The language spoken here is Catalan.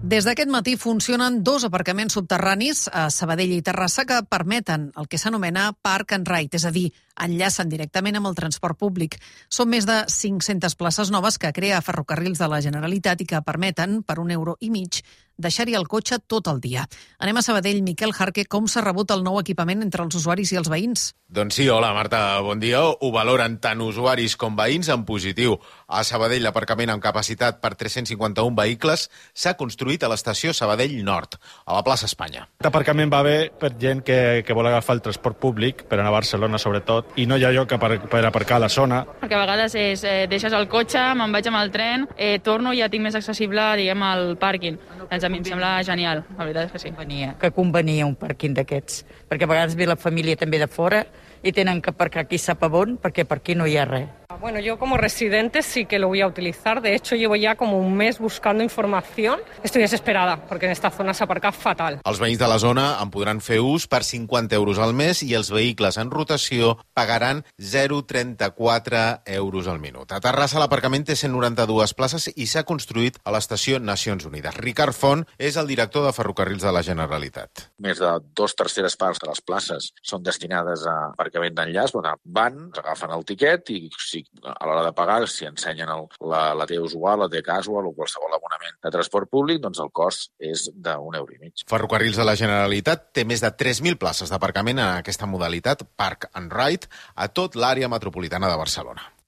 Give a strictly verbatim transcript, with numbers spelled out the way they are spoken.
Des d'aquest matí funcionen dos aparcaments subterranis a Sabadell i Terrassa que permeten el que s'anomena Park and Ride, és a dir, enllacen directament amb el transport públic. Són més de cinc-centes places noves que crea Ferrocarrils de la Generalitat i que permeten, per un euro i mig, deixar-hi el cotxe tot el dia. Anem a Sabadell. Miquel Jarque, com s'ha rebut el nou equipament entre els usuaris i els veïns? Doncs sí, hola Marta, bon dia. Ho valoren tant usuaris com veïns en positiu. A Sabadell, l'aparcament amb capacitat per tres-cents cinquanta-un vehicles s'ha construït a l'estació Sabadell Nord, a la plaça Espanya. L'aparcament va bé per gent que, que vol agafar el transport públic, per anar a Barcelona sobretot, i no hi ha lloc per, per aparcar a la zona. Perquè a vegades és, eh, deixes el cotxe, me'n vaig amb el tren, eh, torno i ja tinc més accessible, diguem, el pàrquing. Doncs a mi em sembla genial, la veritat és que sí. Convenia, que convenia un pàrquing d'aquests, perquè a vegades ve la família també de fora i tenen que aparcar aquí sap a on, perquè per aquí no hi ha res. Bueno, yo como residente sí que lo voy a utilizar. De hecho, llevo ya como un mes buscando información. Estoy desesperada porque en esta zona se aparca fatal. Els veïns de la zona en podran fer ús per cinquanta euros al mes i els vehicles en rotació pagaran zero coma trenta-quatre euros al minut. A Terrassa l'aparcament té cent noranta-dues places i s'ha construït a l'estació Nacions Unides. Ricard Font és el director de Ferrocarrils de la Generalitat. Més de dos terceres parts de les places són destinades a aparcament d'enllaç, on van, agafen el tiquet i si a l'hora de pagar, si ensenyen el, la, la T usual, la T casual o qualsevol abonament de transport públic, doncs el cost és d'un euro i mig. Ferrocarrils de la Generalitat té més de tres mil places d'aparcament en aquesta modalitat Park and Ride a tot l'àrea metropolitana de Barcelona.